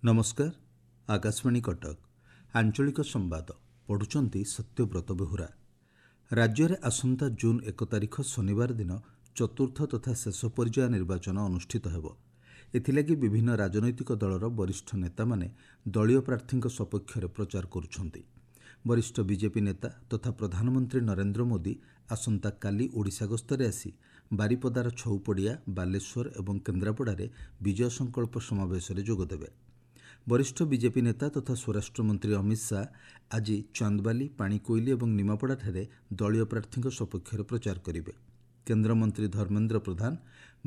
ନମସ୍କାର, ଆକାଶବାଣୀ କଟକ। ଆଞ୍ଚଳିକ ସମ୍ବାଦ ପଢ଼ୁଛନ୍ତି ସତ୍ୟବ୍ରତ ବେହୁରା। ରାଜ୍ୟରେ ଆସନ୍ତା ଜୁନ୍ 1 ତାରିଖ ଶନିବାର ଦିନ ଚତୁର୍ଥ ତଥା ଶେଷ ପର୍ଯ୍ୟାୟ ନିର୍ବାଚନ ଅନୁଷ୍ଠିତ ହେବ। ଏଥିଲାଗି ବିଭିନ୍ନ ରାଜନୈତିକ ଦଳର ବରିଷ୍ଠ ନେତାମାନେ ଦଳୀୟ ପ୍ରାର୍ଥୀଙ୍କ ସପକ୍ଷରେ ପ୍ରଚାର କରୁଛନ୍ତି। ବରିଷ୍ଠ ବିଜେପି ନେତା ତଥା ପ୍ରଧାନମନ୍ତ୍ରୀ ନରେନ୍ଦ୍ର ମୋଦି ଆସନ୍ତାକାଲି ଓଡ଼ିଶା ଗସ୍ତରେ ଆସି ବାରିପଦାର ଛଉପଡ଼ିଆ, ବାଲେଶ୍ୱର ଏବଂ କେନ୍ଦ୍ରାପଡ଼ାରେ ବିଜୟ ସଂକଳ୍ପ ସମାବେଶରେ ଯୋଗଦେବେ। ବରିଷ୍ଠ ବିଜେପି ନେତା ତଥା ସ୍ୱରାଷ୍ଟ୍ରମନ୍ତ୍ରୀ ଅମିତ ଶାହା ଆଜି ଚାନ୍ଦବାଲି, ପାଣିକୋଇଲି ଏବଂ ନିମାପଡ଼ାଠାରେ ଦଳୀୟ ପ୍ରାର୍ଥୀଙ୍କ ସପକ୍ଷରେ ପ୍ରଚାର କରିବେ। କେନ୍ଦ୍ରମନ୍ତ୍ରୀ ଧର୍ମେନ୍ଦ୍ର ପ୍ରଧାନ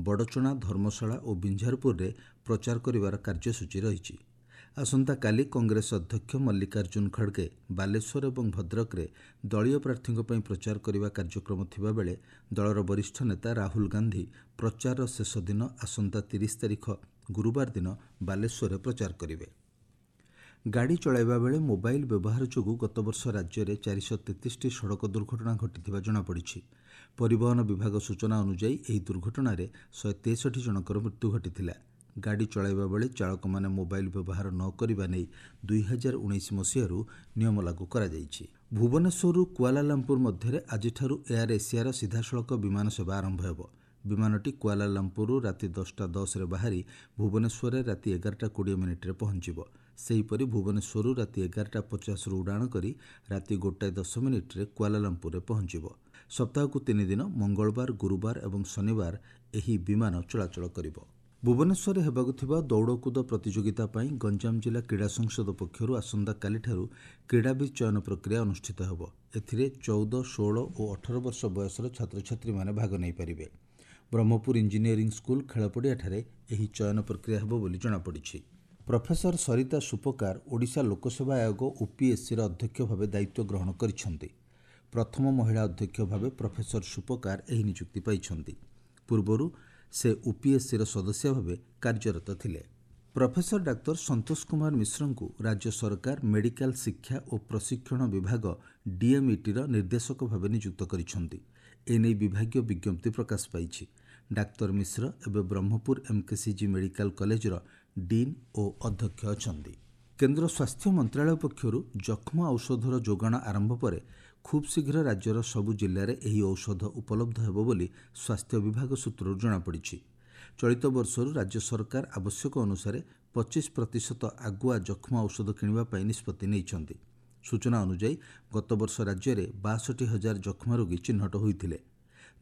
ବଡ଼ଚଣା, ଧର୍ମଶାଳା ଓ ବିଞ୍ଝାରପୁରରେ ପ୍ରଚାର କରିବାର କାର୍ଯ୍ୟସୂଚୀ ରହିଛି। ଆସନ୍ତାକାଲି କଂଗ୍ରେସ ଅଧ୍ୟକ୍ଷ ମଲ୍ଲିକାର୍ଜୁନ ଖଡ଼ଗେ ବାଲେଶ୍ୱର ଏବଂ ଭଦ୍ରକରେ ଦଳୀୟ ପ୍ରାର୍ଥୀଙ୍କ ପାଇଁ ପ୍ରଚାର କରିବା କାର୍ଯ୍ୟକ୍ରମ ଥିବାବେଳେ ଦଳର ବରିଷ୍ଠ ନେତା ରାହୁଲ ଗାନ୍ଧୀ ପ୍ରଚାରର ଶେଷ ଦିନ ଆସନ୍ତା 30 ତାରିଖ ଗୁରୁବାର ଦିନ ବାଲେଶ୍ୱରରେ ପ୍ରଚାର କରିବେ। ଗାଡ଼ି ଚଳାଇବା ବେଳେ ମୋବାଇଲ ବ୍ୟବହାର ଯୋଗୁଁ ଗତବର୍ଷ ରାଜ୍ୟରେ 433ଟି ସଡ଼କ ଦୁର୍ଘଟଣା ଘଟିଥିବା ଜଣାପଡ଼ିଛି। ପରିବହନ ବିଭାଗ ସୂଚନା ଅନୁଯାୟୀ ଏହି ଦୁର୍ଘଟଣାରେ 163 ଜଣଙ୍କର ମୃତ୍ୟୁ ଘଟିଥିଲା। ଗାଡ଼ି ଚଳାଇବା ବେଳେ ଚାଳକମାନେ ମୋବାଇଲ ବ୍ୟବହାର ନ କରିବା ନେଇ 2019 ମସିହାରୁ ନିୟମ ଲାଗୁ କରାଯାଇଛି। ଭୁବନେଶ୍ୱରରୁ କୁଆଲାଲାମ୍ପୁର ମଧ୍ୟରେ ଆଜିଠାରୁ ଏୟାର ଏସିଆର ସିଧାସଳଖ ବିମାନ ସେବା ଆରମ୍ଭ ହେବ। ବିମାନଟି କୁଆଲାଲାମ୍ପୁରରୁ ରାତି 10ଟା 10ରେ ବାହାରି ଭୁବନେଶ୍ୱରରେ ରାତି 11ଟା 20 ମିନିଟ୍ରେ ପହଞ୍ଚିବ। ସେହିପରି ଭୁବନେଶ୍ୱରରୁ ରାତି 11ଟା 50ରୁ ଉଡ଼ାଣ କରି ରାତି 1 10 ମିନିଟ୍ରେ କୁଆଲାଲାମ୍ପୁରରେ ପହଞ୍ଚିବ। ସପ୍ତାହକୁ 3 ଦିନ ମଙ୍ଗଳବାର, ଗୁରୁବାର ଏବଂ ଶନିବାର ଏହି ବିମାନ ଚଳାଚଳ କରିବ। ଭୁବନେଶ୍ୱରରେ ହେବାକୁ ଥିବା ଦୌଡ଼କୁଦ ପ୍ରତିଯୋଗିତା ପାଇଁ ଗଞ୍ଜାମ ଜିଲ୍ଲା କ୍ରୀଡ଼ା ସଂସଦ ପକ୍ଷରୁ ଆସନ୍ତାକାଲିଠାରୁ କ୍ରୀଡ଼ାବିତ୍ ଚୟନ ପ୍ରକ୍ରିୟା ଅନୁଷ୍ଠିତ ହେବ। ଏଥିରେ 14, 16 ଓ 18 ବର୍ଷ ବୟସର ଛାତ୍ରଛାତ୍ରୀମାନେ ଭାଗ ନେଇପାରିବେ। ବ୍ରହ୍ମପୁର ଇଞ୍ଜିନିୟରିଂ ସ୍କୁଲ ଖେଳପଡ଼ିଆଠାରେ ଏହି ଚୟନ ପ୍ରକ୍ରିୟା ହେବ ବୋଲି ଜଣାପଡ଼ିଛି। ପ୍ରଫେସର ସରିତା ସୁପକାର ଓଡ଼ିଶା ଲୋକସେବା ଆୟୋଗ ଓପିଏସ୍ସିର ଅଧ୍ୟକ୍ଷ ଭାବେ ଦାୟିତ୍ୱ ଗ୍ରହଣ କରିଛନ୍ତି। ପ୍ରଥମ ମହିଳା ଅଧ୍ୟକ୍ଷ ଭାବେ ପ୍ରଫେସର ସୁପକାର ଏହି ନିଯୁକ୍ତି ପାଇଛନ୍ତି। ପୂର୍ବରୁ ସେ ଓପିଏସ୍ସିର ସଦସ୍ୟ ଭାବେ କାର୍ଯ୍ୟରତ ଥିଲେ। ପ୍ରଫେସର ଡାକ୍ତର ସନ୍ତୋଷ କୁମାର ମିଶ୍ରଙ୍କୁ ରାଜ୍ୟ ସରକାର ମେଡିକାଲ ଶିକ୍ଷା ଓ ପ୍ରଶିକ୍ଷଣ ବିଭାଗ ଡିଏମ୍ଇଟିର ନିର୍ଦ୍ଦେଶକ ଭାବେ ନିଯୁକ୍ତ କରିଛନ୍ତି। ଏନେଇ ବିଭାଗୀୟ ବିଜ୍ଞପ୍ତି ପ୍ରକାଶ ପାଇଛି। ଡାକ୍ତର ମିଶ୍ର ଏବେ ବ୍ରହ୍ମପୁର ଏମ୍କେସିଜି ମେଡିକାଲ କଲେଜର ଡିନ୍ ଓ ଅଧ୍ୟକ୍ଷ ଅଛନ୍ତି। କେନ୍ଦ୍ର ସ୍ୱାସ୍ଥ୍ୟ ମନ୍ତ୍ରାଳୟ ପକ୍ଷରୁ ଯକ୍ଷ୍ମା ଔଷଧର ଯୋଗାଣ ଆରମ୍ଭ ପରେ ଖୁବ୍ ଶୀଘ୍ର ରାଜ୍ୟର ସବୁ ଜିଲ୍ଲାରେ ଏହି ଔଷଧ ଉପଲବ୍ଧ ହେବ ବୋଲି ସ୍ୱାସ୍ଥ୍ୟ ବିଭାଗ ସୂତ୍ରରୁ ଜଣାପଡ଼ିଛି। ଚଳିତ ବର୍ଷରୁ ରାଜ୍ୟ ସରକାର ଆବଶ୍ୟକ ଅନୁସାରେ 25% ଆଗୁଆ ଯକ୍ଷ୍ମା ଔଷଧ କିଣିବା ପାଇଁ ନିଷ୍ପତ୍ତି ନେଇଛନ୍ତି। ସୂଚନା ଅନୁଯାୟୀ ଗତବର୍ଷ ରାଜ୍ୟରେ 62 ହଜାର ଯକ୍ଷ୍ମା ରୋଗୀ ଚିହ୍ନଟ ହୋଇଥିଲେ।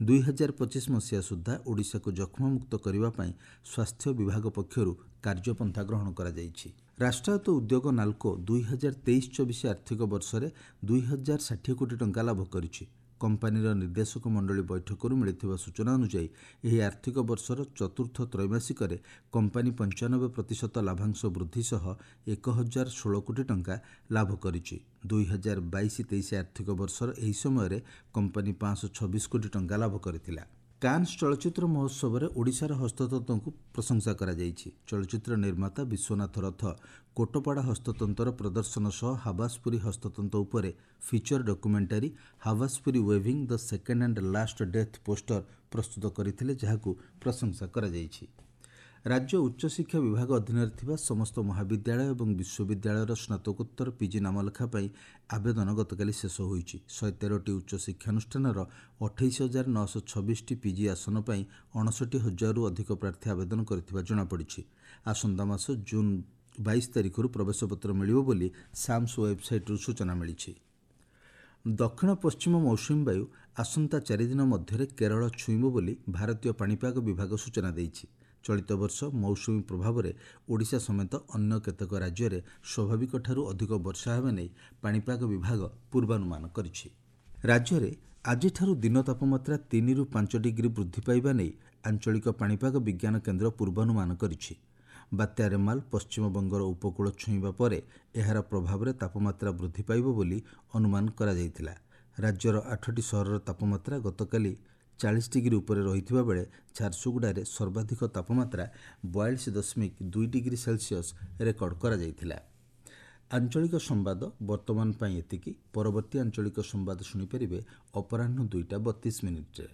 2025 ମସିହା ସୁଦ୍ଧା ଓଡ଼ିଶାକୁ ଯକ୍ଷ୍ମାମୁକ୍ତ କରିବା ପାଇଁ ସ୍ୱାସ୍ଥ୍ୟ ବିଭାଗ ପକ୍ଷରୁ କାର୍ଯ୍ୟପନ୍ଥା ଗ୍ରହଣ କରାଯାଇଛି। ରାଷ୍ଟ୍ରାୟତ୍ତ ଉଦ୍ୟୋଗ ନାଲ୍କୋ 2023-24 ଆର୍ଥିକ ବର୍ଷରେ 2060 କୋଟି ଟଙ୍କା ଲାଭ କରିଛି। କମ୍ପାନୀର ନିର୍ଦ୍ଦେଶକ ମଣ୍ଡଳୀ ବୈଠକରୁ ମିଳିଥିବା ସୂଚନା ଅନୁଯାୟୀ ଏହି ଆର୍ଥିକ ବର୍ଷର ଚତୁର୍ଥ ତ୍ରୈମାସିକରେ କମ୍ପାନୀ 95% ଲାଭାଂଶ ବୃଦ୍ଧି ସହ 1016 କୋଟି ଟଙ୍କା ଲାଭ କରିଛି। 2022-23 ଆର୍ଥିକ ବର୍ଷର ଏହି ସମୟରେ କମ୍ପାନୀ 526 କୋଟି ଟଙ୍କା ଲାଭ କରିଥିଲା। କାନ୍ସ ଚଳଚ୍ଚିତ୍ର ମହୋତ୍ସବରେ ଓଡ଼ିଶାର ହସ୍ତତନ୍ତକୁ ପ୍ରଶଂସା କରାଯାଇଛି। ଚଳଚ୍ଚିତ୍ର ନିର୍ମାତା ବିଶ୍ୱନାଥ ରଥ କୋଟପାଡ଼ ହସ୍ତତନ୍ତର ପ୍ରଦର୍ଶନ ସହ ହାବାସପୁରୀ ହସ୍ତତନ୍ତ ଉପରେ feature documentary "Habaspuri Weaving: The Second and Last Death Poster" ପ୍ରସ୍ତୁତ କରିଥିଲେ, ଯାହାକୁ ପ୍ରଶଂସା କରାଯାଇଛି। ରାଜ୍ୟ ଉଚ୍ଚଶିକ୍ଷା ବିଭାଗ ଅଧୀନରେ ଥିବା ସମସ୍ତ ମହାବିଦ୍ୟାଳୟ ଏବଂ ବିଶ୍ୱବିଦ୍ୟାଳୟର ସ୍ନାତକୋତ୍ତର ପିଜି ନାମଲେଖା ପାଇଁ ଆବେଦନ ଗତକାଲି ଶେଷ ହୋଇଛି। 113ଟି ଉଚ୍ଚ ଶିକ୍ଷାନୁଷ୍ଠାନର 28,926ଟି ପିଜି ଆସନ ପାଇଁ 59 ହଜାରରୁ ଅଧିକ ପ୍ରାର୍ଥୀ ଆବେଦନ କରିଥିବା ଜଣାପଡ଼ିଛି। ଆସନ୍ତା ମାସ ଜୁନ୍ 22 ତାରିଖରୁ ପ୍ରବେଶପତ୍ର ମିଳିବ ବୋଲି ସାମ୍ସ ୱେବ୍ସାଇଟ୍ରୁ ସୂଚନା ମିଳିଛି। ଦକ୍ଷିଣ ପଶ୍ଚିମ ମୌସୁମୀ ବାୟୁ ଆସନ୍ତା 4 ଦିନ ମଧ୍ୟରେ କେରଳ ଛୁଇଁବ ବୋଲି ଭାରତୀୟ ପାଣିପାଗ ବିଭାଗ ସୂଚନା ଦେଇଛି। ଚଳିତ ବର୍ଷ ମୌସୁମୀ ପ୍ରଭାବରେ ଓଡ଼ିଶା ସମେତ ଅନ୍ୟ କେତେକ ରାଜ୍ୟରେ ସ୍ୱାଭାବିକଠାରୁ ଅଧିକ ବର୍ଷା ହେବା ନେଇ ପାଣିପାଗ ବିଭାଗ ପୂର୍ବାନୁମାନ କରିଛି। ରାଜ୍ୟରେ ଆଜିଠାରୁ ଦିନ ତାପମାତ୍ରା 3ରୁ 5 ଡିଗ୍ରୀ ବୃଦ୍ଧି ପାଇବା ନେଇ ଆଞ୍ଚଳିକ ପାଣିପାଗ ବିଜ୍ଞାନ କେନ୍ଦ୍ର ପୂର୍ବାନୁମାନ କରିଛି। ବାତ୍ୟା ରେମାଲ ପଶ୍ଚିମବଙ୍ଗର ଉପକୂଳ ଛୁଇଁବା ପରେ ଏହାର ପ୍ରଭାବରେ ତାପମାତ୍ରା ବୃଦ୍ଧି ପାଇବ ବୋଲି ଅନୁମାନ କରାଯାଇଥିଲା। ରାଜ୍ୟର ଆଠଟି ସହରର ତାପମାତ୍ରା ଗତକାଲି 40 ଡିଗ୍ରୀ ଉପରେ ରହିଥିବା ବେଳେ ଝାରସୁଗୁଡ଼ାରେ ସର୍ବାଧିକ ତାପମାତ୍ରା 42.2 ଡିଗ୍ରୀ ସେଲସିୟସ୍ ରେକର୍ଡ କରାଯାଇଥିଲା। ଆଞ୍ଚଳିକ ସମ୍ବାଦ ବର୍ତ୍ତମାନ ପାଇଁ ଏତିକି। ପରବର୍ତ୍ତୀ ଆଞ୍ଚଳିକ ସମ୍ବାଦ ଶୁଣିପାରିବେ ଅପରାହ୍ନ 2ଟା 32 ମିନିଟ୍ରେ।